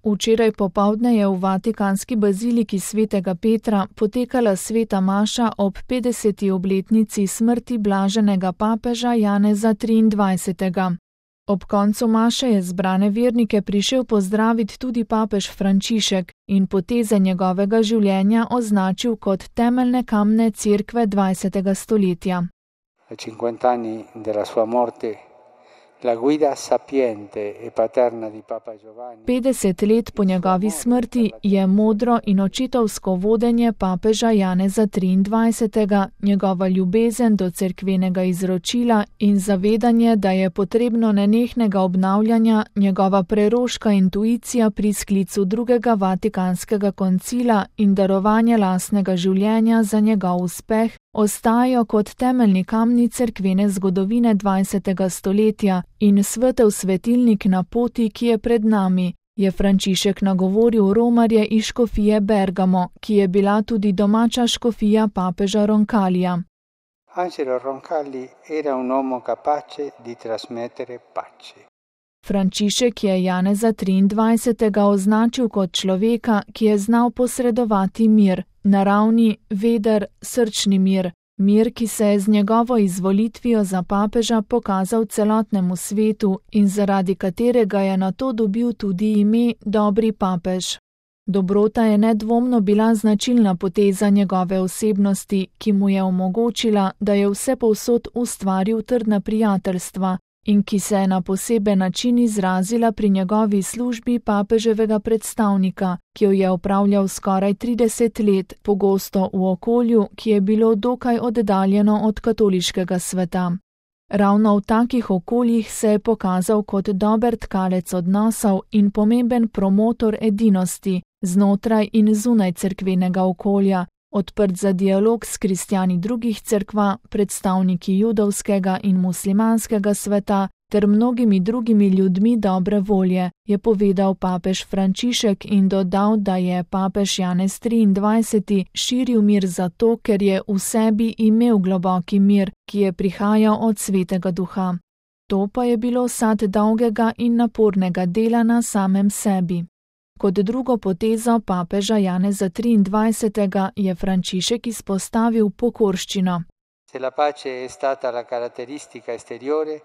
Včeraj popoldne je v vatikanski baziliki svetega Petra potekala sveta maša ob 50. obletnici smrti blaženega papeža Janeza 23. Ob koncu maše je zbrane vernike prišel pozdraviti tudi papež Frančišek in poteze njegovega življenja označil kot temeljne kamne cerkve 20. stoletja. 50 anni della sua morte. La guida sapiente e paterna di Papa Giovanni. 50 let po njegovi smrti je modro in očetovsko vodenje papeža Janeza 23., njegova ljubezen do cerkvenega izročila in zavedanje, da je potrebno nenehnega obnavljanja, njegova preroška intuicija pri sklicu drugega vatikanskega koncila in darovanje lastnega življenja za njegov uspeh, ostajajo kot temeljni kamni cerkvene zgodovine 20. stoletja in svetel svetilnik na poti, ki je pred nami, je Frančišek nagovoril romarje iz škofije Bergamo, ki je bila tudi domača škofija papeža Roncalija. Angelo Roncalli era un uomo capace di trasmettere pace. Frančišek je Janeza 23. označil kot človeka, ki je znal posredovati mir, naravni, veder, srčni mir, mir, ki se je z njegovo izvolitvijo za papeža pokazal celotnemu svetu in zaradi katerega je nato dobil tudi ime Dobri papež. Dobrota je nedvomno bila značilna poteza njegove osebnosti, ki mu je omogočila, da je vsepovsod ustvaril trdna prijateljstva in ki se je na poseben način izrazila pri njegovi službi papeževega predstavnika, ki jo je opravljal skoraj 30 let, pogosto v okolju, ki je bilo dokaj oddaljeno od katoliškega sveta. Ravno v takih okoljih se je pokazal kot dober tkalec odnosov in pomemben promotor edinosti znotraj in zunaj cerkvenega okolja, odprt za dialog s kristjani drugih cerkva, predstavniki judovskega in muslimanskega sveta ter mnogimi drugimi ljudmi dobre volje, je povedal papež Frančišek in dodal, da je papež Janez 23. širil mir zato, ker je v sebi imel globoki mir, ki je prihajal od Svetega Duha. To pa je bilo sad dolgega in napornega dela na samem sebi. Kot drugo potezo papeža Janeza 23. je Frančišek izpostavil pokorščino. Se la pace è stata la caratteristica esteriore,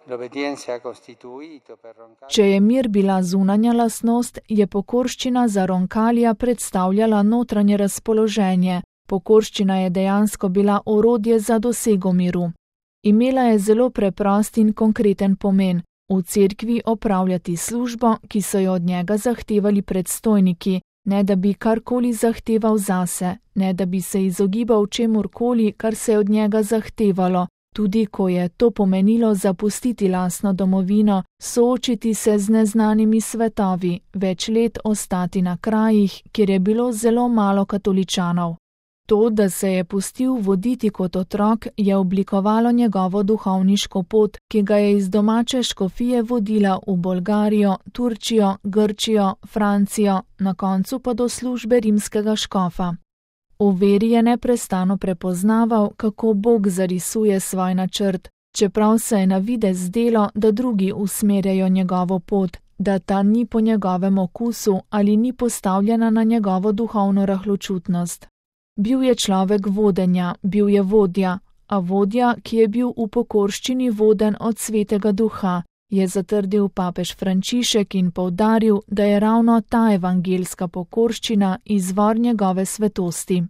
l'obbedienza ha costituito per Roncalli. Če je mir bila zunanja lastnost, je pokorščina za Roncallija predstavljala notranje razpoloženje. Pokorščina je dejansko bila orodje za dosego miru. Imela je zelo preprost in konkreten pomen. V cerkvi opravljati službo, ki so jo od njega zahtevali predstojniki, ne da bi karkoli zahteval zase, ne da bi se izogibal čemurkoli, kar se je od njega zahtevalo, tudi ko je to pomenilo zapustiti lastno domovino, soočiti se z neznanimi svetovi, več let ostati na krajih, kjer je bilo zelo malo katoličanov. To, da se je pustil voditi kot otrok, je oblikovalo njegovo duhovniško pot, ki ga je iz domače škofije vodila v Bolgarijo, Turčijo, Grčijo, Francijo, na koncu pa do službe rimskega škofa. V veri je neprestano prepoznaval, kako Bog zarisuje svoj načrt, čeprav se je na videz zdelo, da drugi usmerjajo njegovo pot, da ta ni po njegovem okusu ali ni postavljena na njegovo duhovno rahločutnost. Bil je človek vodenja, bil je vodja, a vodja, ki je bil v pokorščini voden od Svetega Duha, je zatrdil papež Frančišek in poudaril, da je ravno ta evangeljska pokorščina izvor njegove svetosti.